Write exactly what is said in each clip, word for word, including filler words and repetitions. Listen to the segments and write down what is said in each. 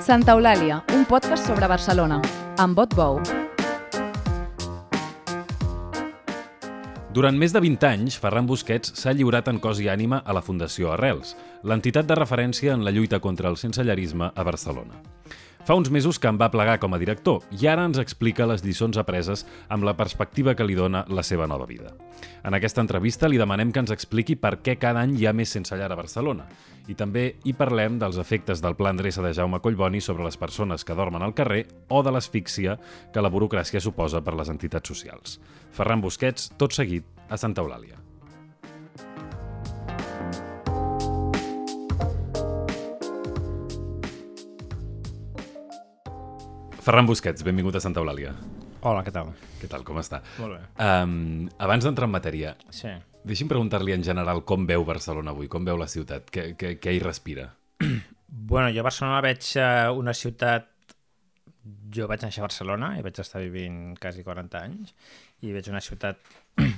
Santa Eulàlia, un podcast sobre Barcelona, amb Bot Bou. Durant més de vint anys, Ferran Busquets s'ha lliurat en cos i ànima a la Fundació Arrels, l'entitat de referència en la lluita contra el sensellarisme a Barcelona. Fa uns mesos que en va plegar com a director i ara ens explica les lliçons apreses amb la perspectiva que li dona la seva nova vida. En aquesta entrevista li demanem que ens expliqui per què cada any hi ha més sensellar a Barcelona i també hi parlem dels efectes del Pla Endreça de Jaume Collboni sobre les persones que dormen al carrer o de l'asfíxia que la burocràcia suposa per les entitats socials. Ferran Busquets, tot seguit, a Santa Eulàlia. Ferran Busquets, benvingut a Santa Eulàlia. Hola, què tal? Què tal, com està? Molt bé. Um, abans d'entrar en matèria, sí. deixi'm preguntar-li en general com veu Barcelona avui, com veu la ciutat, què, què, què hi respira? Bueno, jo a Barcelona veig uh, una ciutat... Jo vaig néixer a Barcelona i vaig estar vivint quasi quaranta anys i veig una ciutat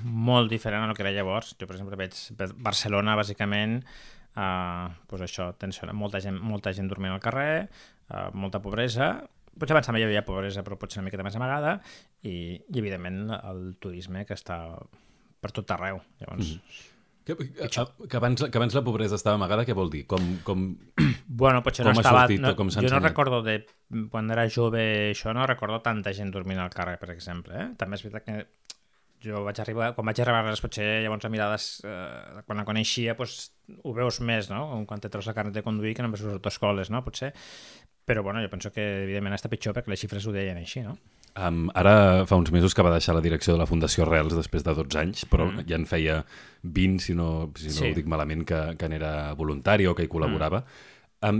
molt diferent a el que era llavors. Jo, per exemple, veig Barcelona, bàsicament, uh, doncs això, tensió, molta gent, molta gent dormint al carrer, uh, molta pobresa. Potser abans també hi havia pobresa, però potser una miqueta més amagada, i, i evidentment, el turisme que està per tot arreu. Llavors, mm. que, que, que, abans, que abans la pobresa estava amagada, què vol dir? Com, com, bueno, potser com no ha estava... sortit No, o com s'ha jo no ensenyat? recordo de... Quan era jove, això, no recordo tanta gent dormint al carrer, per exemple. Eh? També és veritat que jo vaig arribar... Quan vaig arribar a les, potser llavors a mirades... Eh, quan la coneixia, doncs, ho veus més, no? Quan te treus la carnet de conduir, que només veus autoescoles, no? Potser... Però bueno, jo penso que evidentment està pitjor perquè les xifres ho deien així, no? Um, ara fa uns mesos que va deixar la direcció de la Fundació Arrels després de dotze anys, però mm. ja en feia vint, si no, si no sí. ho dic malament, que, que n'era voluntari o que hi col·laborava. Mm. Um,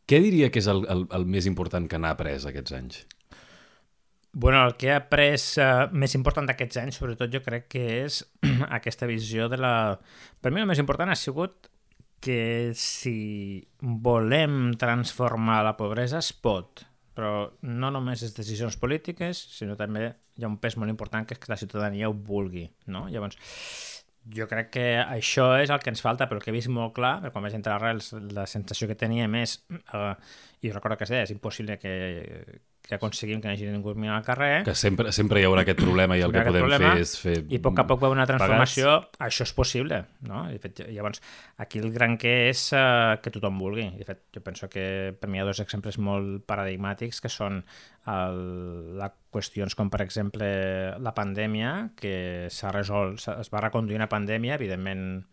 què diria que és el, el, el més important que n'ha après aquests anys? Bueno, el que he après uh, més important d'aquests anys, sobretot jo crec que és aquesta visió de la... Per mi el més important ha sigut que si volem transformar la pobresa es pot, però no només és decisions polítiques, sinó també hi ha un pes molt important que és que la ciutadania ho vulgui, no? Llavors, jo crec que això és el que ens falta, però el que he vist molt clar, perquè quan vaig entrar a Arrels la sensació que teníem és, eh, i recordo que es deia, és impossible que, que aconseguim que no hagi ningú mirant al carrer. Que sempre, sempre hi haurà aquest problema i el que podem problema, fer és fer... I a poc a poc veu una transformació, pagats. Això és possible, no? De fet, llavors, aquí el gran que és uh, que tothom vulgui. De fet, jo penso que per mi hi ha dos exemples molt paradigmàtics que són el, la qüestions com, per exemple, la pandèmia, que s'ha resolt, es va reconduir una pandèmia, evidentment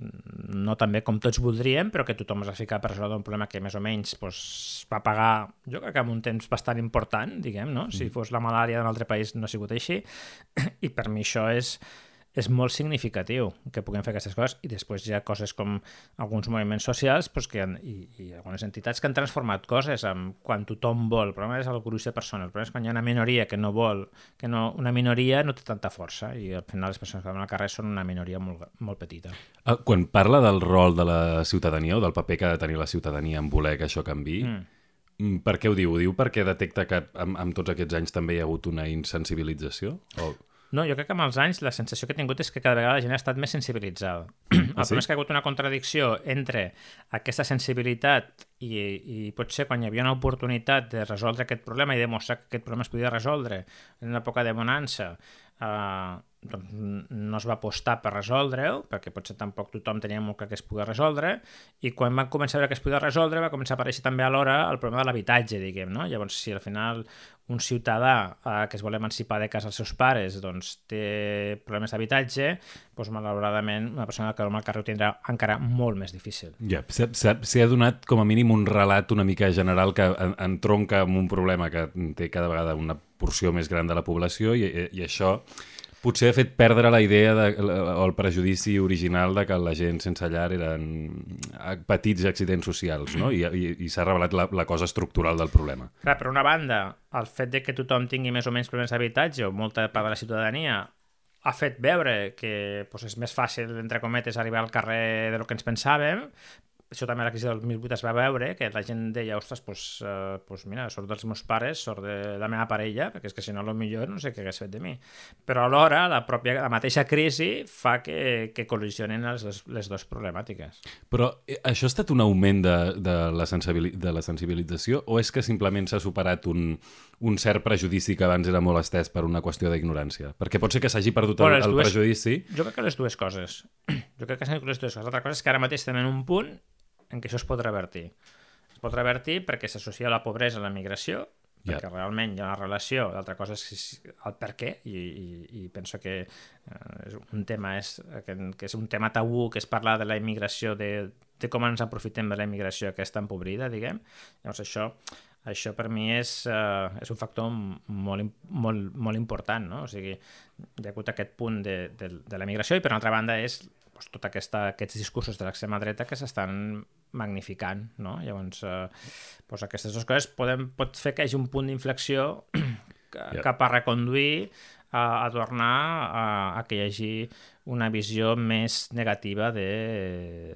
no tan bé com tots voldríem, però que tothom es va ficar per resoldre un problema que més o menys doncs, va pagar, jo crec que en un temps bastant important, diguem, no? Si fos la malària d'un altre país no ha sigut així, i per mi això és, és molt significatiu que puguem fer aquestes coses, i després hi ha coses com alguns moviments socials doncs, que han, i, i algunes entitats que han transformat coses amb quan tothom vol. El problema és el gruix de persones, el problema és quan hi ha una minoria que no vol, que no, una minoria no té tanta força, i al final les persones que van al carrer són una minoria molt, molt petita. Quan parla del rol de la ciutadania o del paper que ha de tenir la ciutadania en voler que això canviï, mm. per què ho diu? Ho diu perquè detecta que amb, amb tots aquests anys també hi ha hagut una insensibilització? O... No, jo crec que amb els anys la sensació que he tingut és que cada vegada la gent ha estat més sensibilitzada. El ah, sí? problema és que hi ha hagut una contradicció entre aquesta sensibilitat i, i potser quan hi havia una oportunitat de resoldre aquest problema i demostrar que aquest problema es podia resoldre en una època de bonança, eh, doncs no es va apostar per resoldre-ho, perquè potser tampoc tothom tenia molt clar que es podia resoldre, i quan van començar a veure que es podia resoldre va començar a aparèixer també alhora el problema de l'habitatge, diguem, no? Llavors, si al final un ciutadà eh, que es vol emancipar de casa als seus pares doncs té problemes d'habitatge, doncs malauradament una persona que dorm al carrer ho tindrà encara molt més difícil. Ja, s'ha donat com a mínim un relat una mica general que entronca amb un problema que té cada vegada una porció més gran de la població i, i això potser ha fet perdre la idea de, o el prejudici original de que la gent sense llar eren petits accidents socials, no? I, i, i s'ha revelat la, la cosa estructural del problema. Clar, per una banda, el fet de que tothom tingui més o menys problemes d'habitatge o molta part de la ciutadania ha fet veure que doncs, és més fàcil, entre cometes, arribar al carrer de lo que ens pensàvem, això també a la crisi del dos mil vuit es va veure, que la gent deia, ostres, doncs, eh, doncs mira, sort dels meus pares, sort de la meva parella, perquè és que si no, potser no sé què hagués fet de mi. Però alhora, la, pròpia, la mateixa crisi fa que, que col·lisionen les, dos, les dues problemàtiques. Però això ha estat un augment de, de, la, sensibili de la sensibilització o és que simplement s'ha superat un, un cert prejudici que abans era molt estès per una qüestió d'ignorància? Perquè pot ser que s'hagi perdut el, bueno, el dues, prejudici. Jo crec que les dues coses. Jo crec que s'han les dues coses. L'altra cosa és que ara mateix estem en un punt en què això es pot revertir. Es pot revertir perquè s'associa la pobresa a la migració, perquè yeah. realment hi ha una relació, l'altra cosa és el per què, i, i, i penso que eh, és un tema és, que, que és un tema tabú, que és parlar de la immigració, de, de com ens aprofitem de la immigració aquesta empobrida, diguem. Llavors això, això per mi és, uh, és un factor molt, molt, molt important, no? O sigui, hi ha hagut aquest punt de, de, de la migració i per una altra banda és doncs, tot aquesta, aquests discursos de l'extrema dreta que s'estan magnificant, no? Llavors, eh, doncs aquestes dues coses poden, pot fer que hi hagi un punt d'inflexió yeah. cap a reconduir a, a tornar a, a que hi hagi una visió més negativa de...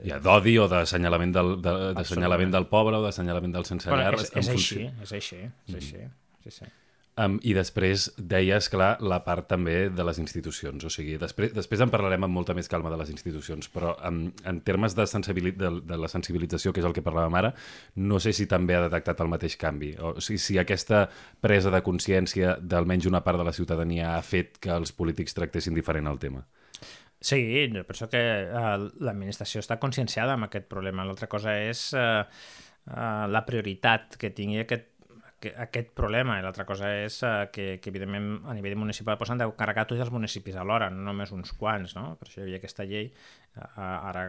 Ja, d'odi o d'assenyalament del, de, d'assenyalament del pobre o d'assenyalament del sense llar. Bueno, és, és, així, és així, és així, mm. sí, sí. Um, I després deies, clar, la part també de les institucions. O sigui, després, després en parlarem amb molta més calma de les institucions, però um, en termes de, de, de la sensibilització, que és el que parlàvem ara, no sé si també ha detectat el mateix canvi. O si, si aquesta presa de consciència d'almenys una part de la ciutadania ha fet que els polítics tractessin diferent el tema. Sí, jo penso que uh, l'administració està conscienciada amb aquest problema. L'altra cosa és uh, uh, la prioritat que tingui aquest aquest problema, i l'altra cosa és uh, que, que evidentment a nivell municipal pues, han de carregar tots els municipis alhora, no només uns quants, no? Per això hi havia aquesta llei, uh, ara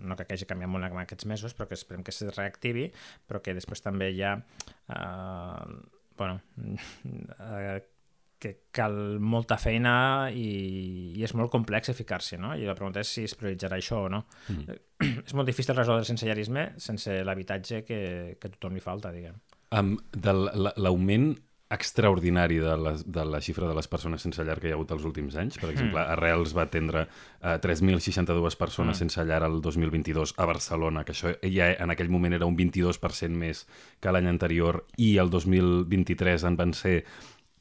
no crec que hagi canviat molt en aquests mesos, però que esperem que es reactivi, però que després també hi ha uh, bueno, uh, que cal molta feina i, i és molt complex ficar-s'hi, no? I la pregunta és si es prioritzarà això o no. Mm. És molt difícil resoldre el sensellarisme sense l'habitatge que, que a tothom li falta, diguem. Um, l'augment extraordinari de la, de la xifra de les persones sense llar que hi ha hagut els últims anys. Per exemple, mm. Arrels va atendre uh, tres mil seixanta-dues persones mm. sense llar el dos mil vint-i-dos a Barcelona, que això ja en aquell moment era un vint-i-dos per cent més que l'any anterior, i el dos mil vint-i-tres en van ser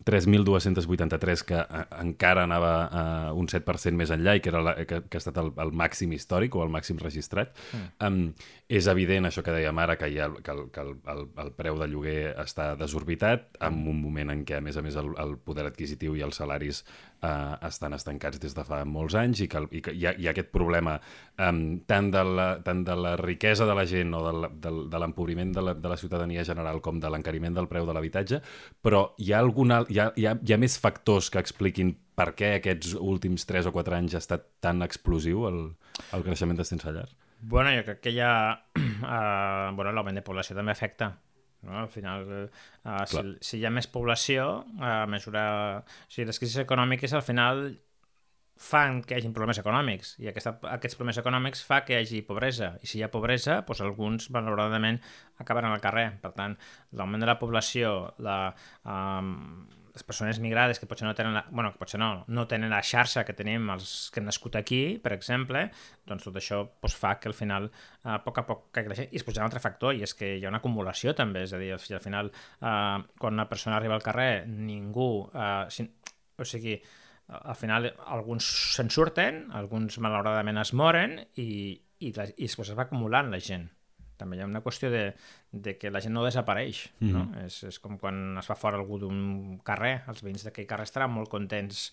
tres mil dos-cents vuitanta-tres, que uh, encara anava uh, un set per cent més enllà i que, era la, que, que ha estat el, el màxim històric o el màxim registrat. Mm. Um, és evident, això que dèiem ara, que, hi ha, que, el, que el, el, el preu de lloguer està desorbitat, en un moment en què, a més a més, el, el poder adquisitiu i els salaris uh, estan estancats des de fa molts anys i que, i que hi, ha, hi ha aquest problema um, tant, de la, tant de la riquesa de la gent o de, de, de l'empobriment de, la, de la ciutadania general com de l'encariment del preu de l'habitatge, però hi ha alguna Hi ha, hi, ha, hi ha més factors que expliquin per què aquests últims tres o quatre anys ha estat tan explosiu el, el creixement de sense llar? Bueno, jo crec que hi ha... Uh, bueno, l'augment de població també afecta. No? Al final, uh, si, si hi ha més població, a mesura... O sigui, les crisis econòmiques al final fan que hi hagi problemes econòmics i aquesta, aquests problemes econòmics fa que hi hagi pobresa i si hi ha pobresa, doncs alguns malauradament acabaran al carrer. Per tant, l'augment de la població, la... Um, les persones migrades que potser no tenen la, bueno, que potser no, no tenen la xarxa que tenim els que hem nascut aquí, per exemple, doncs tot això doncs, fa que al final, a poc a poc, que creixi. I es posa un altre factor, i és que hi ha una acumulació també, és a dir, al final, eh, quan una persona arriba al carrer, ningú, eh, si, o sigui, al final alguns se'n surten, alguns malauradament es moren i, i, la, i després es va acumulant la gent. També hi ha una qüestió de, de que la gent no desapareix, mm. no? És, és com quan es fa fora algú d'un carrer, els veïns d'aquell carrer estaran molt contents,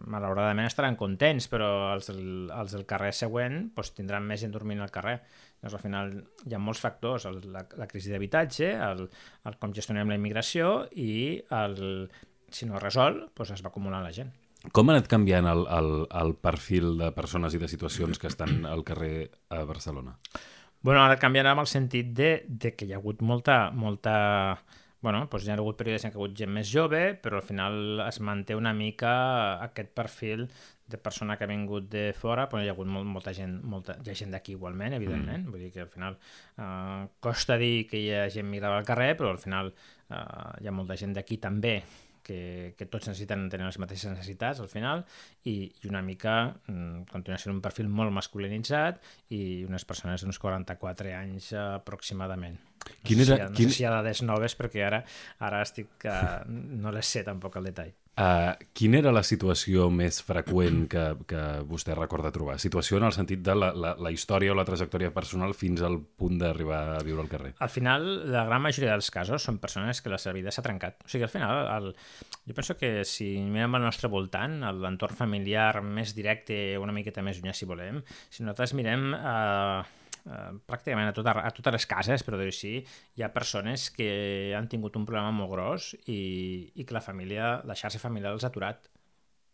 malauradament estaran contents, però els del, els del carrer següent doncs, tindran més gent dormint al carrer. Llavors, al final hi ha molts factors, el, la, la crisi d'habitatge, el, el com gestionem la immigració i el, si no es resol, doncs es va acumulant la gent. Com ha anat canviant el, el, el perfil de persones i de situacions que estan al carrer a Barcelona? Bueno, ara canviarà amb el sentit de, de que hi ha hagut molta... molta bueno, doncs hi ha hagut períodes en què hi ha hagut gent més jove, però al final es manté una mica aquest perfil de persona que ha vingut de fora, però hi ha hagut molt, molta gent, molta, hi ha gent d'aquí igualment, evidentment, mm. vull dir que al final eh, costa dir que hi ha gent migrada al carrer, però al final eh, hi ha molta gent d'aquí també que, que tots necessiten tenir les mateixes necessitats al final i, i una mica mm, continua sent un perfil molt masculinitzat i unes persones d'uns quaranta-quatre anys uh, aproximadament. No, Quin sé era, si, no quin... sé si hi ha dades noves perquè ara, ara estic, uh, no les sé tampoc al detall. Uh, quina era la situació més freqüent que, que vostè recorda trobar? Situació en el sentit de la, la, la història o la trajectòria personal fins al punt d'arribar a viure al carrer. Al final, la gran majoria dels casos són persones que la seva vida s'ha trencat. O sigui, al final, el, jo penso que si mirem al nostre voltant, l'entorn familiar més directe, una miqueta més llunyà, si volem, si nosaltres mirem... Eh, Uh, pràcticament a, tot, a totes les cases, però dir-ho així, hi ha persones que han tingut un problema molt gros i, i que la família, la xarxa familiar els ha aturat.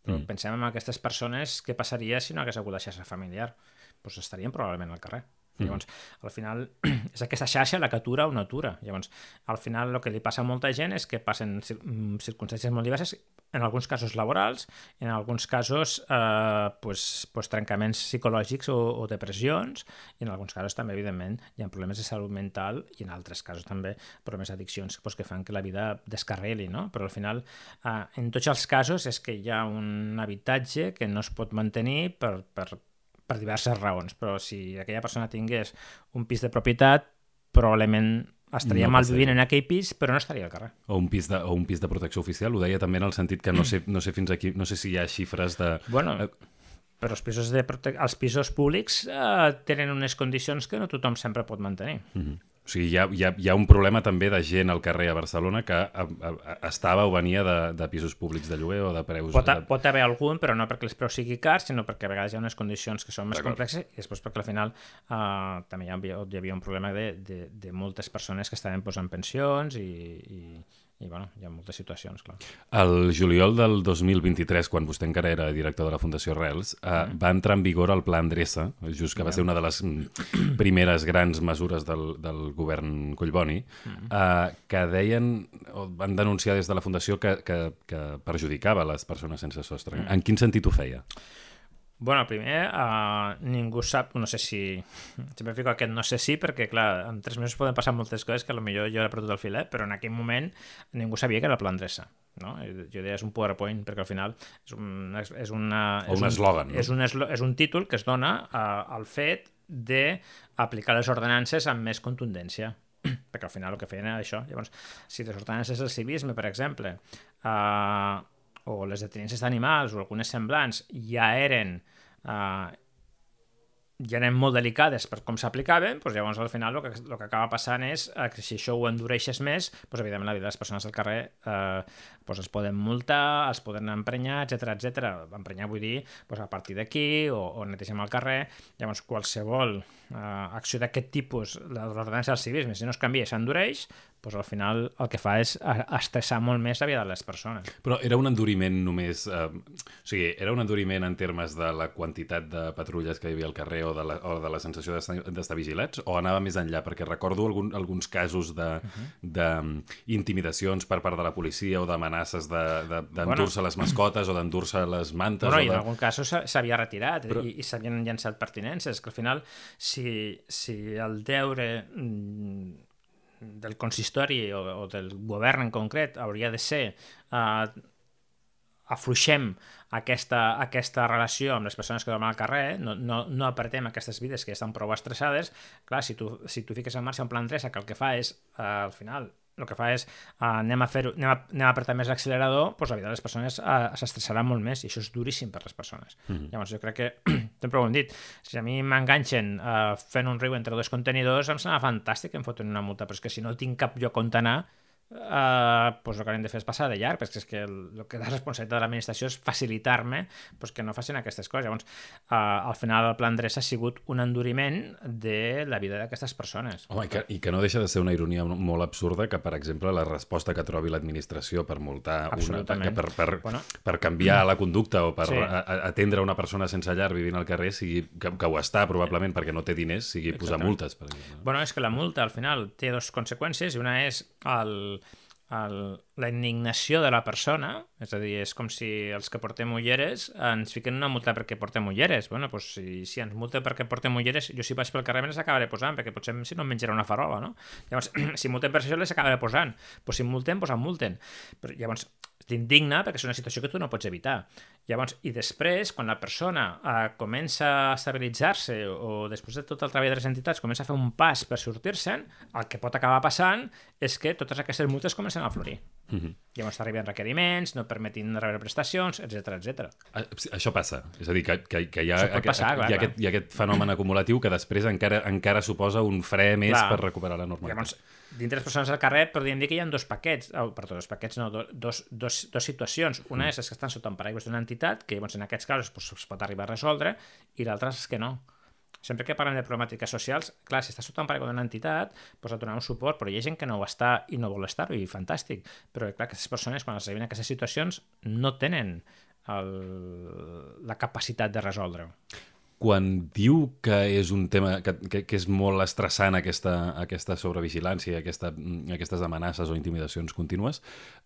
Però mm. pensem en aquestes persones, què passaria si no hagués hagut la xarxa familiar? Doncs estarien probablement al carrer. Mm. Llavors, al final, és aquesta xarxa la que atura o no atura. Llavors, al final, el que li passa a molta gent és que passen circumstàncies molt diverses, en alguns casos laborals, en alguns casos eh, pues, pues, trencaments psicològics o, o depressions, i en alguns casos també, evidentment, hi ha problemes de salut mental i en altres casos també problemes d'addiccions pues, que fan que la vida descarreli, no? Però al final, eh, en tots els casos és que hi ha un habitatge que no es pot mantenir per, per, per diverses raons, però si aquella persona tingués un pis de propietat, probablement estaria no mal vivint en aquell pis, però no estaria al carrer. O un pis de, o un pis de protecció oficial, ho deia també en el sentit que no sé, no sé fins aquí, no sé si hi ha xifres de... Bueno, però els pisos, de prote... els pisos públics eh, tenen unes condicions que no tothom sempre pot mantenir. Mm-hmm. O sigui, hi ha, hi, ha, hi ha un problema també de gent al carrer a Barcelona que a, a, a, estava o venia de, de pisos públics de lloguer o de preus... Pot, a, pot haver algun, però no perquè els preus sigui cars, sinó perquè a vegades hi ha unes condicions que són més complexes i després perquè al final uh, també hi havia, hi havia un problema de, de, de moltes persones que estaven posant pensions i... i i bueno, hi ha moltes situacions, clar. El juliol del dos mil vint-i-tres, quan vostè encara era director de la Fundació Arrels, eh, mm. va entrar en vigor el Pla Endreça, just que va ser una de les primeres grans mesures del, del govern Collboni, mm. eh, que deien, o van denunciar des de la Fundació que, que, que perjudicava les persones sense sostre. Mm. En quin sentit ho feia? Bueno, primer, uh, ningú sap, no sé si... Sempre fico aquest no sé si, perquè, clar, en tres mesos poden passar moltes coses que potser jo he perdut el filet, però en aquell moment ningú sabia que era el Pla Endreça. No? Jo deia, és un PowerPoint, perquè al final és un, és una, o un eslògan. No? És, un, és un títol que es dona uh, al fet d'aplicar les ordenances amb més contundència. Perquè al final el que feien era això. Llavors, si les ordenances del civisme, per exemple... Uh, o les de tinences d'animals o algunes semblants ja eren eh, ja eren molt delicades per com s'aplicaven, doncs llavors al final el que, el que acaba passant és eh, que si això ho endureixes més, doncs evidentment la vida de les persones al carrer eh, doncs es poden multar, es poden emprenyar, etcètera, etcètera. Emprenyar vull dir doncs a partir d'aquí o, o netegem el carrer. Llavors qualsevol eh, acció d'aquest tipus, l'ordenança del civisme, si no es canvia i s'endureix, doncs al final el que fa és estressar molt més la vida de les persones. Però era un enduriment només... Eh, o sigui, era un enduriment en termes de la quantitat de patrulles que hi havia al carrer o de la, o de la sensació d'estar vigilats, o anava més enllà? Perquè recordo algun, alguns casos d'intimidacions uh-huh. per part de la policia o d'amenaces d'endur-se bueno. les mascotes o d'endur-se les mantes. Bueno, o de... i en algun cas s'havia retirat Però... i, i s'havien llançat pertinences, que al final, si, si el deure... Mm, del consistori o, o del govern en concret hauria de ser eh, afluixem aquesta, aquesta relació amb les persones que dormen al carrer, no, no, no apretem aquestes vides que ja estan prou estressades. Clar, si tu, si tu fiques en marxa un Pla Endreça que el que fa és, eh, al final, el que fa és uh, anem, a fer, anem, a, anem a apretar més l'accelerador, doncs la vida de les persones uh, s'estressarà molt més i això és duríssim per les persones. Mm-hmm. Llavors jo crec que, sempre ho hem dit, si a mi m'enganxen uh, fent un riu entre dos contenidors, em sembla fantàstic que em foten una multa, però és que si no tinc cap lloc on anar, Uh, pues el que hem de fer és passar de llarg, perquè és que el, el que la responsabilitat de l'administració és facilitar-me pues, que no facin aquestes coses. Llavors, uh, al final el Pla Endreça ha sigut un enduriment de la vida d'aquestes persones. Home, i que, i que no deixa de ser una ironia molt absurda que, per exemple, la resposta que trobi l'administració per multar una, per, per, per, bueno. per canviar la conducta o per sí. a, a, atendre una persona sense llar vivint al carrer, sigui, que, que ho està probablement perquè no té diners, sigui Exactament. posar multes. Per exemple. Bueno, és que la multa al final té dues conseqüències i una és el El, la indignació de la persona, és a dir, és com si els que portem ulleres ens fiquen una multa perquè portem ulleres. Bueno, doncs si, si ens multen perquè portem ulleres, jo si vaig pel carrer me les acabaré posant, perquè potser si no em menjaré una farola, no? Llavors, si multen per això les acabaré posant. Doncs si multen, doncs em multen. Però llavors, t'indigna perquè és una situació que tu no pots evitar. Llavors, i després, quan la persona eh, comença a estabilitzar-se o després de tot el treball de les entitats comença a fer un pas per sortir-se'n, el que pot acabar passant és que totes aquestes multes comencen a florir. Mm-hmm. Llavors t'arriben requeriments, no permetin rebre prestacions, etcètera, etcètera. Això passa. És a dir, que, que, que hi, ha, Això pot passar, hi, ha, clar, hi, ha aquest, hi ha aquest fenomen acumulatiu que després encara, encara suposa un fre més clar. Per recuperar la normalitat. Llavors, dintre les persones al carrer podríem dir que hi ha dos paquets, oh, perdó, dos paquets no, dos, dos, dos situacions. Una és les que estan sota un paraigües d'una entitat, que llavors en aquests casos pues, es pot arribar a resoldre, i l'altra és que no. Sempre que parlem de problemàtiques socials, clar, si està sota un paraigua d'una entitat, pues et donarà un suport, però hi ha gent que no ho està i no vol estar-ho, i fantàstic. Però clar, aquestes persones, quan es arriben a aquestes situacions, no tenen el, la capacitat de resoldre-ho. Quan diu que és un tema que, que, que és molt estressant aquesta, aquesta sobrevigilància, aquesta, aquestes amenaces o intimidacions contínues,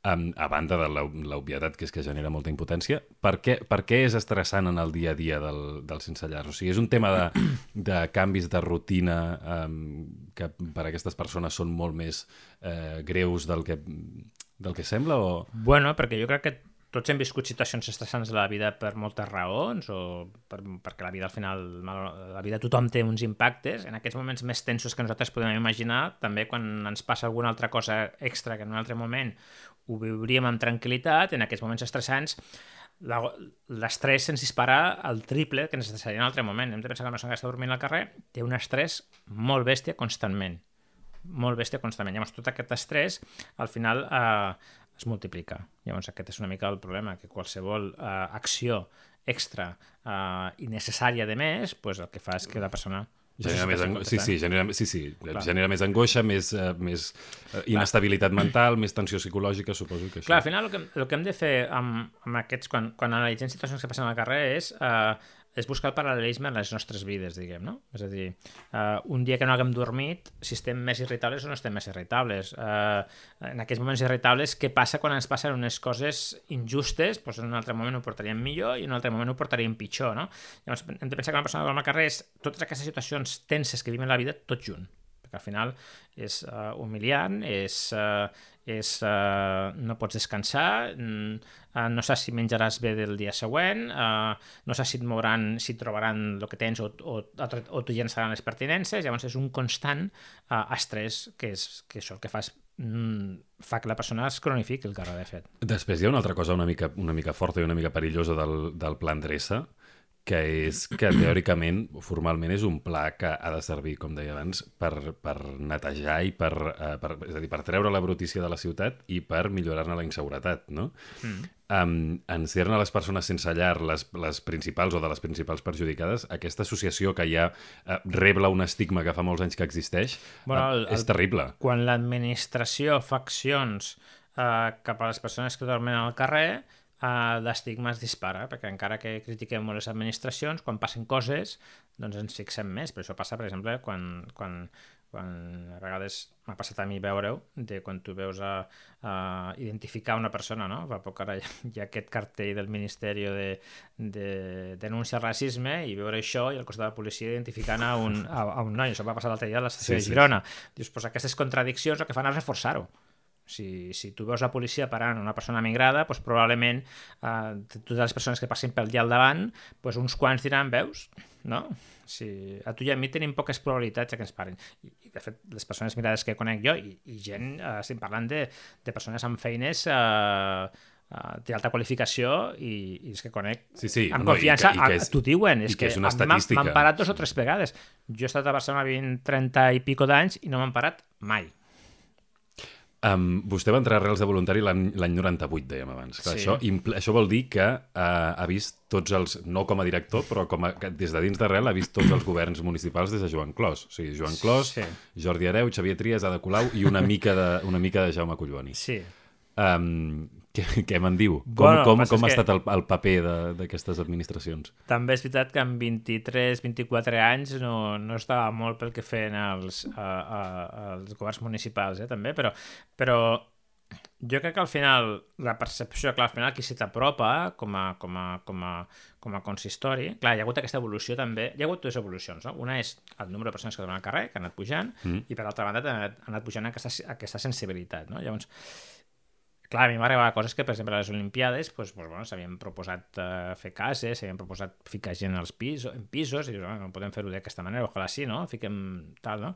um, a banda de l'obvietat que és que genera molta impotència, per què, per què és estressant en el dia a dia del, del sense llar? O sigui, és un tema de, de canvis de rutina um, que per a aquestes persones són molt més eh, greus del que, del que sembla? O... Bueno, perquè jo crec que tots hem viscut situacions estressants de la vida per moltes raons, o per, perquè la vida al final, la vida tothom té uns impactes. En aquests moments més tensos que nosaltres podem imaginar, també quan ens passa alguna altra cosa extra que en un altre moment ho viuríem amb tranquil·litat, en aquests moments estressants l'estrès se'ns dispara al triple que ens estressaria en un altre moment. Hem de pensar que una persona que està dormint al carrer té un estrès molt bèstia constantment. Molt bèstia constantment. Llavors, tot aquest estrès, al final, eh, es multiplica. Llavors, aquest és una mica el problema, que qualsevol eh, acció extra eh, i necessària de més, pues, el que fa és que la persona... Genera més ango... sí, sí, genera, sí, sí. genera més angoixa, més, uh, més uh, inestabilitat mental, més tensió psicològica, suposo que això... Clar, al final el que, el que hem de fer amb, amb aquests, quan, quan analitzem situacions que passen al carrer és, uh, és buscar el paral·lelisme en les nostres vides, diguem, no? És a dir, uh, un dia que no haguem dormit, si estem més irritables o no estem més irritables. Uh, en aquests moments irritables, què passa quan ens passen unes coses injustes? Pues en un altre moment ho portaríem millor i en un altre moment ho portaríem pitjor, no? Llavors, hem de pensar que una persona que dorm al carrer és totes aquestes situacions tenses que vivim en la vida tot junt, perquè al final és uh, humiliant, és... Uh, és, uh, no pots descansar, uh, no saps si menjaràs bé del dia següent, uh, no saps si et mouran, si et trobaran el que tens o, o, o t'ho llençaran les pertinences. Llavors és un constant uh, estrès que és que això el que fa és mm, fa que la persona es cronifiqui el carrer, de fet. Després hi ha una altra cosa una mica, una mica forta i una mica perillosa del, del pla Endreça, que és que teòricament, formalment, és un pla que ha de servir, com deia abans, per, per netejar i per, uh, per, és a dir, per treure la brutícia de la ciutat i per millorar-ne la inseguretat, no? Mm. Um, en ser-ne les persones sense llar les, les principals o de les principals perjudicades, aquesta associació que ja uh, rebla un estigma que fa molts anys que existeix, bueno, el, uh, és el, terrible. Quan l'administració fa accions uh, cap a les persones que dormen al carrer, Uh, l'estigma es dispara, perquè encara que critiquem molt les administracions, quan passen coses, doncs ens fixem més. Per això passa, per exemple, quan, quan, quan a vegades m'ha passat a mi veure-ho, de quan tu veus a, a identificar una persona, no? Fa poc ara hi ha, hi ha aquest cartell del Ministeri de, de Denúncia al Racisme i veure això i al costat de la policia identificant a un, a, a un noi. Això va passar l'altre dia a l'estació sí, de Girona. Sí, sí. Dius, pues aquestes contradiccions el que fan és reforçar-ho. Si, si tu veus la policia parant una persona migrada, doncs probablement eh, totes les persones que passin pel dia al davant, doncs uns quants diran, veus? No? Si a tu i a mi tenim poques probabilitats que ens paren. I, i de fet, les persones migrades que conec jo, i, i gent, eh, estem parlant de, de persones amb feines eh, Uh, té alta qualificació i, i és que conec sí, sí, amb no, confiança, i que, i que és, t'ho diuen, és que, que és una estadística. M'han parat dos o tres vegades. Jo he estat a Barcelona vint, trenta i pico d'anys i no m'han parat mai. Um, vostè va entrar a Arrels de voluntari l'any noranta-vuit, dèiem abans. Clar, sí. això, impl- això vol dir que uh, ha vist tots els, no com a director, però com a, des de dins d'Arrel ha vist tots els governs municipals des de Joan Clos. O sigui, Joan Clos, sí. Jordi Hereu, Xavier Trias, Ada Colau i una mica de, una mica de Jaume Collboni. Sí. Um, què què me'n diu? Com, bueno, com, com ha que... estat el, el paper d'aquestes administracions? També és veritat que amb vint-i-tres vint-i-quatre anys no, no estava molt pel que feien els, a, a, els governs municipals, eh, també, però, però jo crec que al final la percepció, clar, al final qui se t'apropa com a, com a, com a, com a consistori, clar, hi ha hagut aquesta evolució també, hi ha hagut dues evolucions, no? Una és el número de persones que donen al carrer, que han anat pujant, mm. i per altra banda ha anat pujant aquesta, aquesta sensibilitat, no? Llavors, clar, a mi m'arribava coses que, per exemple, a les Olimpiades pues, pues, bueno, s'havien proposat uh, fer cases, s'havien proposat ficar gent als pisos, en pisos, i bueno, no podem fer-ho d'aquesta manera, ojalà sí, no? Fiquem tal, no?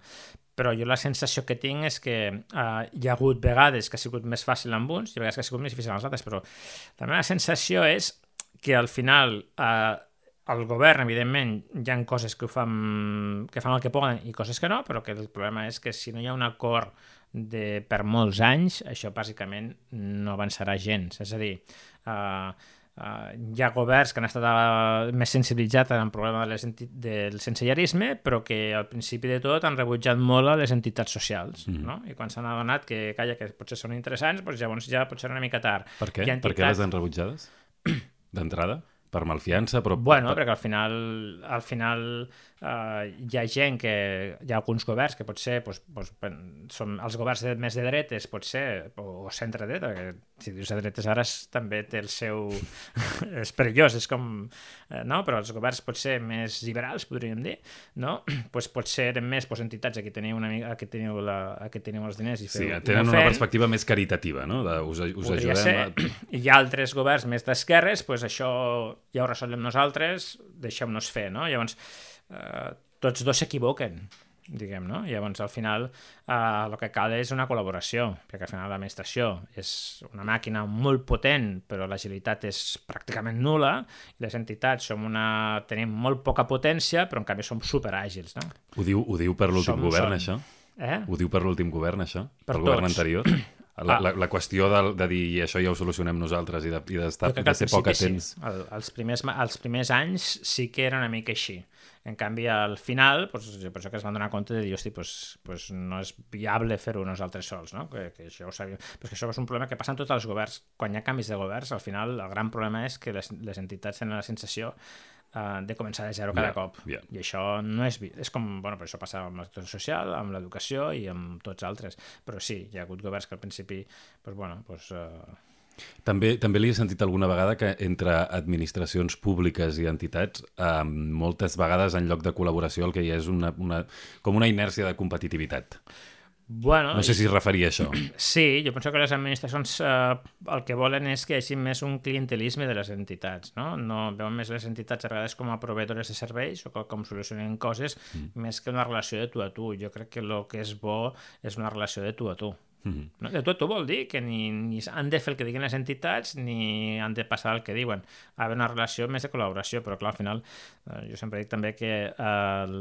Però jo la sensació que tinc és que uh, hi ha hagut vegades que ha sigut més fàcil amb uns i vegades que ha sigut més difícil amb els altres, però la meva sensació és que al final uh, el govern, evidentment, hi ha coses que ho fan, que fan el que poden i coses que no, però que el problema és que si no hi ha un acord de, per molts anys, això bàsicament no avançarà gens. És a dir, uh, uh, hi ha governs que han estat uh, més sensibilitzats en el problema de les del sensellarisme, però que al principi de tot han rebutjat molt a les entitats socials, mm. no? I quan s'han adonat que, calla, que potser són interessants, doncs llavors ja pot ser una mica tard. Per què? Entitats... Per què les han rebutjades? D'entrada? Per malfiança? Però... Bueno, perquè al final, al final uh, hi ha gent que... Hi ha alguns governs que potser pues, pues, són els governs de, més de dretes, potser, o, o centre-dreta, perquè si dius de dretes ara també té el seu... és perillós, és com... Eh, no? Però els governs potser més liberals, podríem dir, no? Pues potser eren més pues, entitats, aquí teniu, una mica, aquí teniu, la, aquí teniu els diners i feu... Sí, tenen una perspectiva més caritativa, no? De, us, us ajudem ser. A... Hi ha altres governs més d'esquerres, pues això ja ho resolem nosaltres, deixem-nos fer, no? Llavors, eh, tots dos s'equivoquen, diguem, no? Llavors, al final, eh, el que cal és una col·laboració, perquè al final l'administració és una màquina molt potent, però l'agilitat és pràcticament nul·la, i les entitats som una... tenim molt poca potència, però en canvi som superàgils, no? Ho diu, ho diu per l'últim som, govern, som. això? Eh? Ho diu per l'últim govern, això? Per el govern anterior? La, Ah. la, la qüestió de, de dir i això ja ho solucionem nosaltres i d'estar de, de, de ser poc atents. Sí. El, els, primers, els primers anys sí que era una mica així. En canvi, al final, pues, per això que es van donar compte de dir, hosti, pues, pues no és viable fer-ho nosaltres sols, no? Que, que això ho sabíem. Però que això és un problema que passa en tots els governs. Quan hi ha canvis de governs, al final el gran problema és que les, les entitats tenen la sensació uh, de començar de zero cada yeah, cop. Yeah. I això no és... És com... Bueno, per això passa amb la situació social, amb l'educació i amb tots altres. Però sí, hi ha hagut governs que al principi, pues, bueno, pues... Uh, També, també li he sentit alguna vegada que entre administracions públiques i entitats eh, moltes vegades en lloc de col·laboració el que hi ha és una, una, com una inèrcia de competitivitat. Bueno, no sé si es referia a això. Sí, jo penso que les administracions eh, el que volen és que hi hagi més un clientelisme de les entitats, no? No veuen més les entitats a vegades com a proveïdores de serveis o com solucionen coses, mm. més que una relació de tu a tu. Jo crec que el que és bo és una relació de tu a tu. Mm-hmm. No? De tot ho vol dir que ni, ni han de fer el que diguen les entitats ni han de passar el que diuen. Ha d'haver una relació més de col·laboració, però clar, al final eh, jo sempre dic també que el,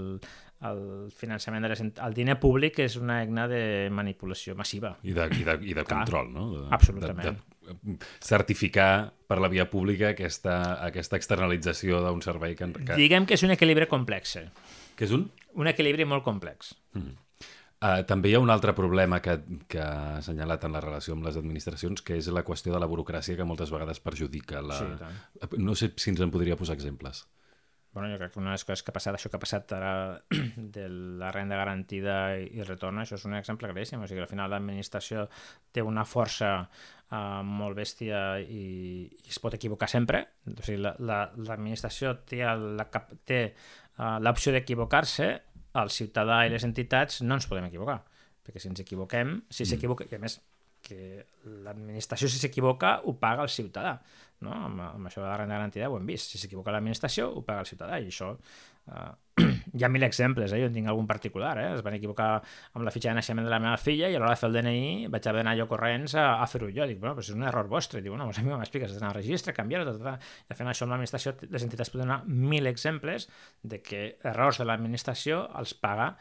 el finançament de les ent... el diner públic és una eina de manipulació massiva. I de, i de, i de control, no? De, absolutament. De, de certificar per la via pública aquesta, aquesta externalització d'un servei que, que... Diguem que és un equilibri complex. Que és un? Un equilibri molt complex. Mm. Uh, també hi ha un altre problema que, que ha assenyalat en la relació amb les administracions, que és la qüestió de la burocràcia que moltes vegades perjudica. La... Sí, no sé si ens en podria posar exemples. Bueno, jo crec que una de les coses que ha passat, això que ha passat ara de la renda garantida i retorn, això és un exemple claríssim. O sigui, al final l'administració té una força uh, molt bèstia i, i es pot equivocar sempre. O sigui, l'administració la, la, té la, té uh, l'opció d'equivocar-se. El ciutadà i les entitats no ens podem equivocar, perquè si ens equivoquem, si s'equivoca, i a més que l'administració si s'equivoca ho paga el ciutadà, no? Amb, amb això de la renda garantida ho hem vist, si s'equivoca l'administració ho paga el ciutadà, i això eh, hi ha mil exemples, eh? Jo en tinc algun particular, eh? Es van equivocar amb la fitxa de naixement de la meva filla i a l'hora de fer el D N I vaig haver d'anar jo corrents a, a fer-ho jo, dic, bueno, però és un error vostre, dic, bueno, a mi m'expliques, has d'anar al registre, canviar-ho, tot, tot, tot. I fent això amb l'administració, les entitats poden donar mil exemples de que errors de l'administració els paga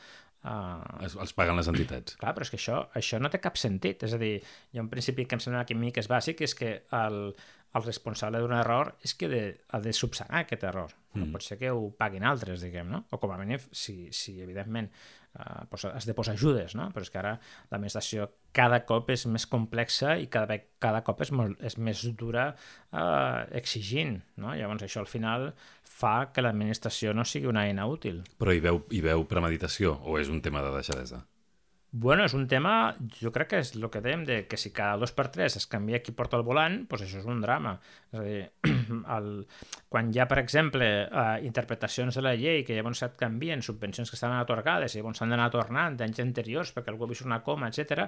Uh, els, els paguen les entitats. Clar, però és que això, això no té cap sentit. És a dir, hi ha un principi que em sembla que a mi que és bàsic, és que el, el responsable d'un error és que de, ha de subsanar aquest error. Mm. No pot ser que ho paguin altres, diguem, no? O com a mínim, si, si evidentment uh, pues, has de posar ajudes, no? Però és que ara l'administració cada cop és més complexa i cada, cada cop és, molt, és més dura uh, exigint, no? Llavors això al final fa que l'administració no sigui una eina útil. Però hi veu, hi veu premeditació o és un tema de deixadesa? Bueno, és un tema, jo crec que és el que dèiem, de que si cada dos per tres es canvia qui porta el volant, doncs això és un drama. És a dir, el, quan hi ha, per exemple, uh, interpretacions de la llei que llavors et canvien, subvencions que estan atorgades i llavors s'han d'anar tornant d'anys anteriors perquè algú ha vist una coma, etcètera,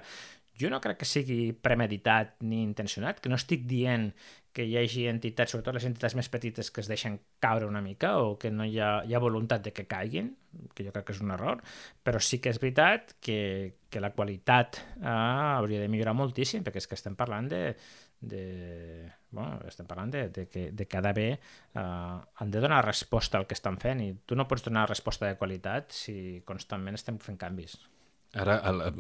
jo no crec que sigui premeditat ni intencionat, que no estic dient que hi hagi entitats, sobretot les entitats més petites, que es deixen caure una mica o que no hi ha, hi ha voluntat de que caiguin, que jo crec que és un error, però sí que és veritat que, que la qualitat eh, hauria de millorar moltíssim, perquè és que estem parlant de... de bueno, estem parlant de, de, que, de que ha d'haver... Eh, han de donar resposta al que estan fent i tu no pots donar resposta de qualitat si constantment estem fent canvis. Ara,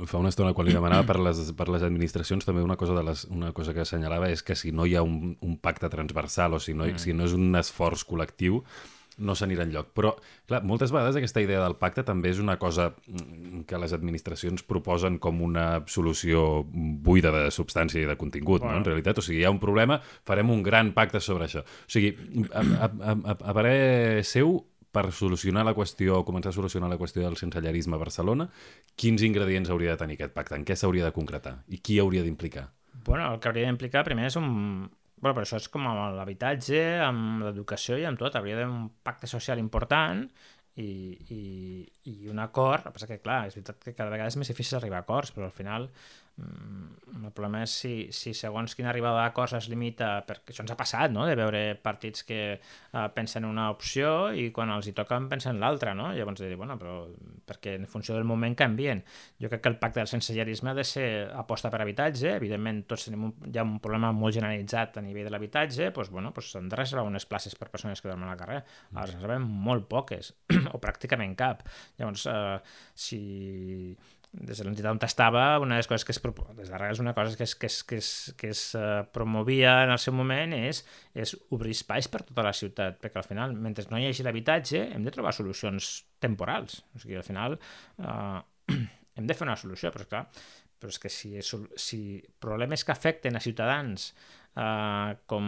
fa una estona, quan li demanava per les, per les administracions, també una cosa, de les, una cosa que assenyalava és que si no hi ha un, un pacte transversal o si no, mm. si no és un esforç col·lectiu, no s'anirà enlloc. Però, clar, moltes vegades aquesta idea del pacte també és una cosa que les administracions proposen com una solució buida de substància i de contingut, bueno. No? En realitat, o sigui, hi ha un problema, farem un gran pacte sobre això. O sigui, a, a, a, a, a parer seu, per solucionar la qüestió, o començar a solucionar la qüestió del sensellarisme a Barcelona, quins ingredients hauria de tenir aquest pacte? En què s'hauria de concretar? I qui hauria d'implicar? Bueno, el que hauria d'implicar primer és un... Bueno, però això és com amb l'habitatge, amb l'educació i amb tot. Hauria d'haver un pacte social important i, i, i un acord. El que passa que, clar, és veritat que cada vegada és més difícil arribar a acords, però al final el problema és si, si segons quina arribada d'acords es limita, perquè això ens ha passat, no?, de veure partits que uh, pensen una opció i quan els hi toquen pensen l'altra, no? Llavors de dir, bueno, però perquè en funció del moment canvien. Jo crec que el pacte del sensellarisme ha de ser aposta per habitatge, evidentment tots tenim un, hi ha un problema molt generalitzat a nivell de l'habitatge, doncs, bueno, doncs s'han de reservar unes places per persones que dormen al carrer, ara es reserven molt poques, o pràcticament cap. Llavors, uh, si... des de l'entitat on estava, una de les coses que es, des d'arrels una cosa que es, que es, que es, que es uh, promovia en el seu moment és, és obrir espais per tota la ciutat, perquè al final, mentre no hi hagi l'habitatge, hem de trobar solucions temporals. O sigui, al final uh, hem de fer una solució, però clar, però és que si, si problemes que afecten a ciutadans uh, com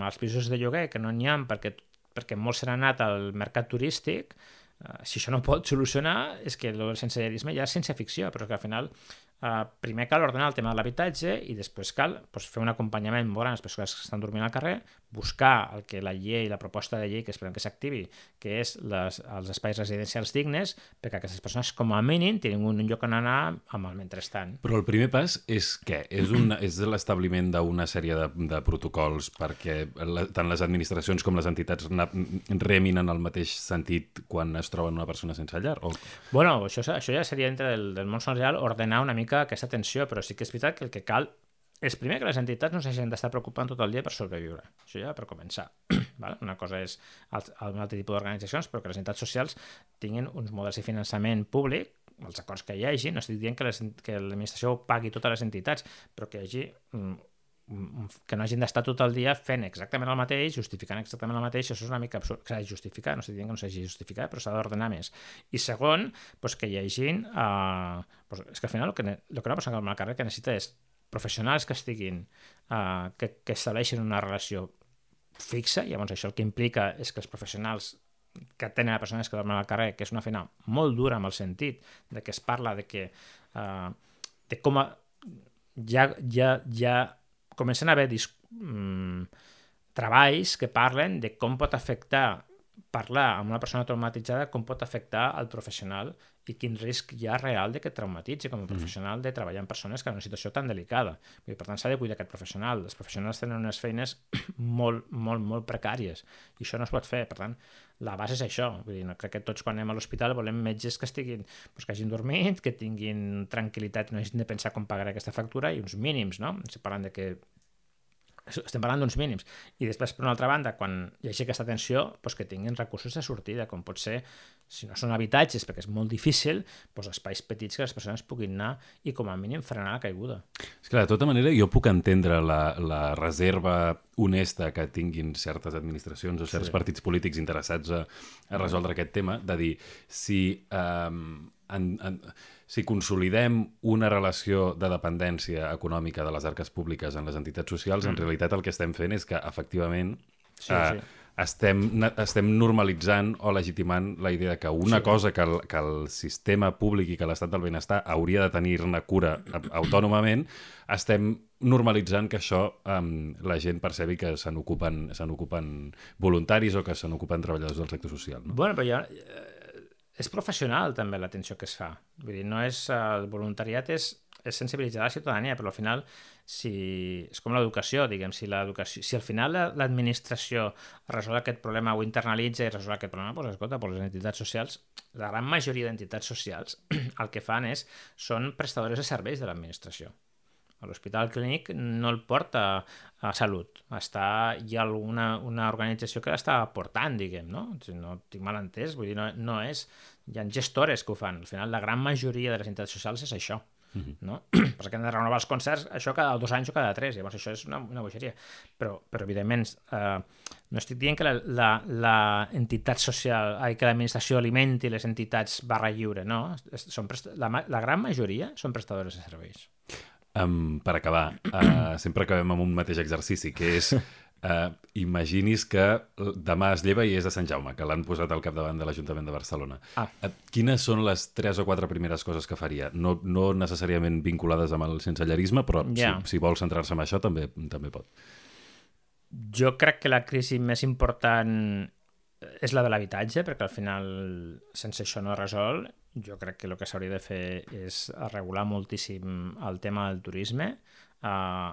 els pisos de lloguer, que no n'hi ha perquè, perquè molts s'han anat al mercat turístic, Uh, si això no pot solucionar, és que el sensellarisme ja és ciència ficció, però que al final uh, primer cal ordenar el tema de l'habitatge i després cal doncs, fer un acompanyament molt gran a les persones que estan dormint al carrer, buscar el que la llei, la proposta de llei que esperem que s'activi, que és les, els espais residencials dignes, perquè aquestes persones com a mínim tinguin un lloc on anar amb el mentrestant. Però el primer pas és què? És, un, és l'establiment d'una sèrie de, de protocols perquè la, tant les administracions com les entitats remin en el mateix sentit quan es troben una persona sense llar? O... Bueno, això, això ja seria dintre del, del món social ordenar una mica aquesta tensió, però sí que és veritat que el que cal és primer que les entitats no s'hagin d'estar preocupant tot el dia per sobreviure. Això ja per començar. Val? Una cosa és un altre tipus d'organitzacions, però que les entitats socials tinguin uns models de finançament públic, els acords que hi hagi, no estic dient que, les, que l'administració pagui totes les entitats, però que hi hagi que no hagin d'estar tot el dia fent exactament el mateix, justificant exactament el mateix, això és una mica absurd, que s'ha de justificar, no estic dient que no s'hagi de justificar, però s'ha d'ordenar més. I segon, doncs que hi hagin, uh, doncs és que al final el que, el que una persona que va al carrer que necessita és professionals que estiguin, uh, que, que estableixin una relació fixa, i llavors això el que implica és que els professionals que tenen a persones que dormen al carrer, que és una feina molt dura amb el sentit de que es parla de que uh, de com a, ja, ja, ja comencen a haver dis, um, treballs que parlen de com pot afectar parlar amb una persona traumatitzada, com pot afectar al professional i quin risc hi ha real de que traumatitzi com a professional de treballar amb persones que en una situació tan delicada. I, per tant, s'ha de cuidar aquest professional. Els professionals tenen unes feines molt, molt, molt precàries i això no es pot fer. Per tant, la base és això. Vull dir, no, crec que tots quan anem a l'hospital volem metges que estiguin, doncs, que hagin dormit, que tinguin tranquil·litat i no hagin de pensar com pagaré aquesta factura i uns mínims, no? Estem parlant de que estem parlant d'uns mínims. I després, per una altra banda, quan hi hagi aquesta tensió, doncs que tinguin recursos de sortida, com pot ser, si no són habitatges, perquè és molt difícil, doncs espais petits que les persones puguin anar i com a mínim frenar la caiguda. És clar, de tota manera, jo puc entendre la, la reserva honesta que tinguin certes administracions o certs sí. partits polítics interessats a, a resoldre aquest tema, de dir, si... Um, En, en, si consolidem una relació de dependència econòmica de les arques públiques en les entitats socials, mm. en realitat el que estem fent és que, efectivament, sí, eh, sí. estem, estem normalitzant o legitimant la idea que una sí. cosa que el, que el sistema públic i que l'estat del benestar hauria de tenir-ne cura autònomament, estem normalitzant que això um, la gent percebi que se n'ocupen se n'ocupen voluntaris o que se n'ocupen treballadors del sector social. No? Bueno, però ja... És professional, també, l'atenció que es fa. Vull dir, no és... El voluntariat és, és sensibilitzar la ciutadania, però al final, si, és com l'educació, diguem, si, l'educació, si al final l'administració resol aquest problema o internalitza i resol aquest problema, doncs, escolta, doncs les entitats socials, la gran majoria d'entitats socials, el que fan és, són prestadores de serveis de l'administració. A l'Hospital Clínic no el porta a Salut. Està, hi ha alguna una organització que l'està portant, diguem, no? Si no tinc mal entès, vull dir, no, no és... Hi ha gestores que ho fan. Al final, la gran majoria de les entitats socials és això. Uh-huh. No? Perquè hem de renovar els concerts, això cada dos anys o cada tres, llavors això és una, una bogeria. Però, però evidentment, eh, no estic dient que la, la, la entitat social, ai, que l'administració alimenti les entitats barra lliure, no? Són prest... la, la gran majoria són prestadores de serveis. Um, per acabar, uh, sempre acabem amb un mateix exercici, que és uh, imaginis que demà es lleva i és de Sant Jaume, que l'han posat al capdavant de l'Ajuntament de Barcelona. Ah. Uh, quines són les tres o quatre primeres coses que faria? No, no necessàriament vinculades amb el sensellarisme, però yeah. si, si vol centrar-se en això també, també pot. Jo crec que la crisi més important és la de l'habitatge, perquè al final sense això no es resol. Jo crec que el que s'hauria de fer és regular moltíssim el tema del turisme uh,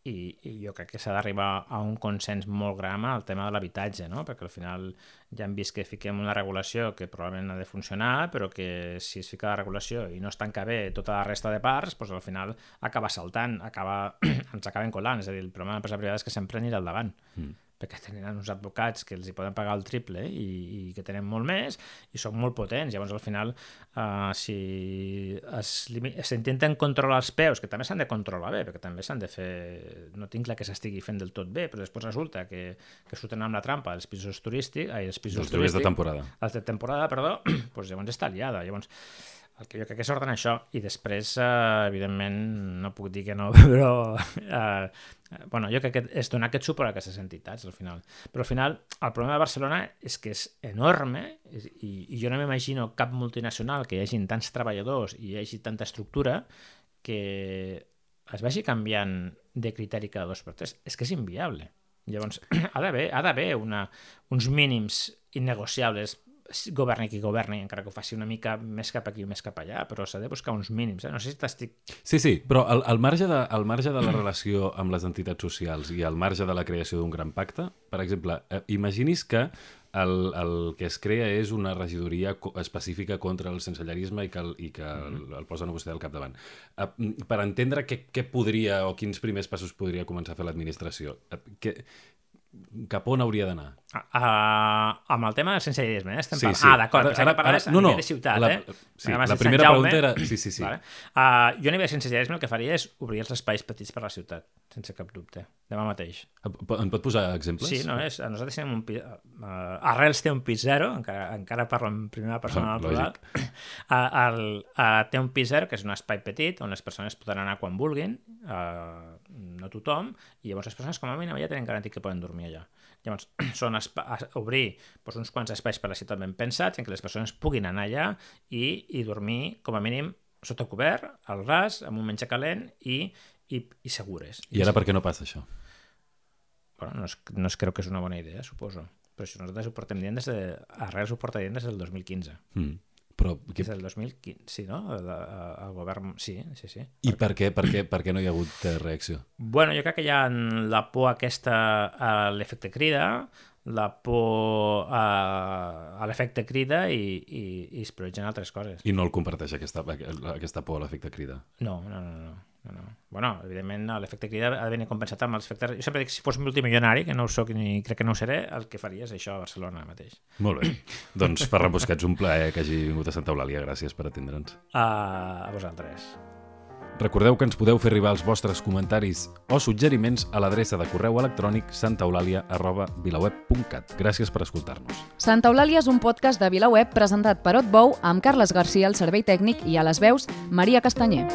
i, i jo crec que s'ha d'arribar a un consens molt gran al tema de l'habitatge, no? Perquè al final ja hem vist que fiquem una regulació que probablement ha de funcionar, però que si es fica la regulació i no es tanca bé tota la resta de parts, doncs al final acaba saltant, acaba, ens acaben colant. És a dir, el problema de l'empresa privada és que sempre anirà al davant. Mm. Perquè tenen uns advocats que els hi poden pagar el triple i, i que tenen molt més i són molt potents. Llavors, al final, uh, si s'intenten controlar els peus, que també s'han de controlar bé, perquè també s'han de fer... No tinc clar que s'estigui fent del tot bé, però després resulta que, que surten amb la trampa els pisos turístics... Ai, els pisos els turístics de temporada. Els de temporada, perdó, doncs llavors està liada. Llavors, el que jo crec que és ordena això. I després, uh, evidentment, no puc dir que no, però... Uh, bueno, jo crec que és donar aquest suport a aquestes entitats, al final. Però al final, el problema de Barcelona és que és enorme i, i jo no m'imagino cap multinacional que hi hagi tants treballadors i hi hagi tanta estructura que es vagi canviant de criteri cada dos per tres. És que és inviable. Llavors, ha d'haver ha d'haver uns mínims innegociables, governi qui governi, encara que ho faci una mica més cap aquí o més cap allà, però s'ha de buscar uns mínims. Eh? No sé si t'estic... Sí, sí, però al, al, marge de, al marge de la relació amb les entitats socials i al marge de la creació d'un gran pacte, per exemple, eh, imaginis que el, el que es crea és una regidoria específica contra el sensellarisme i que el, i que el, el posen a vostè al capdavant. Eh, per entendre què, què podria o quins primers passos podria començar a fer l'administració, eh, què... cap on hauria d'anar? Uh, uh, amb el tema del sensellarisme, eh? Estem sí, parlant... sí. Ah, d'acord, pensava que parlaves a no, no, nivell de ciutat, la, eh? Sí, la primera Jaume, pregunta era... Sí, sí, sí. Vale. Uh, jo a nivell de sensellarisme el que faria és obrir els espais petits per la ciutat, sense cap dubte, demà mateix. En pot posar exemples? Sí, no, és, nosaltres tenim un pis... Uh, Arrels té un pis zero, encara, encara parlo en primera persona del plural. Uh, el, uh, té un pis zero, que és un espai petit, on les persones poden anar quan vulguin, uh, no tothom, i llavors les persones com a mínim ja tenen garantit que poden dormir allà. Llavors, són obrir doncs, uns quants espais per la ciutat ben pensats en què les persones puguin anar allà i, i dormir, com a mínim, sota cobert, al ras, amb un menjar calent i, i, i segures. I ara per què no passa això? Bueno, no es, no es creu que és una bona idea, suposo. Però si nosaltres ho portem dient des de... Arrels ho porta dient des del dos mil quinze. Mm. Però... Que... Des del dos mil quinze, sí, no? El, el govern... Sí, sí, sí. I per què, per què, per què no hi ha hagut reacció? Bueno, jo crec que hi ha la por aquesta a l'efecte crida, la por a, a l'efecte crida i, i, i es prioritzen altres coses. I no el comparteix, aquesta, aquesta por a l'efecte crida? No, no, no, no. No, no. Bueno, evidentment l'efecte crida ha de venir compensat amb els efectes... Jo sempre dic que si fos multimilionari, que no ho soc ni crec que no ho seré, el que faria és això a Barcelona mateix. Molt bé. Doncs Ferran Busquets, un plaer que hagi vingut a Santa Eulàlia. Gràcies per atendre'ns. Uh, a vosaltres. Recordeu que ens podeu fer arribar els vostres comentaris o suggeriments a l'adreça de correu electrònic santaeulàlia arroba vilaweb punt cat. Gràcies per escoltar-nos. Santa Eulàlia és un podcast de VilaWeb presentat per Otbou amb Carles Garcia al servei tècnic i a les veus Maria Castanyer.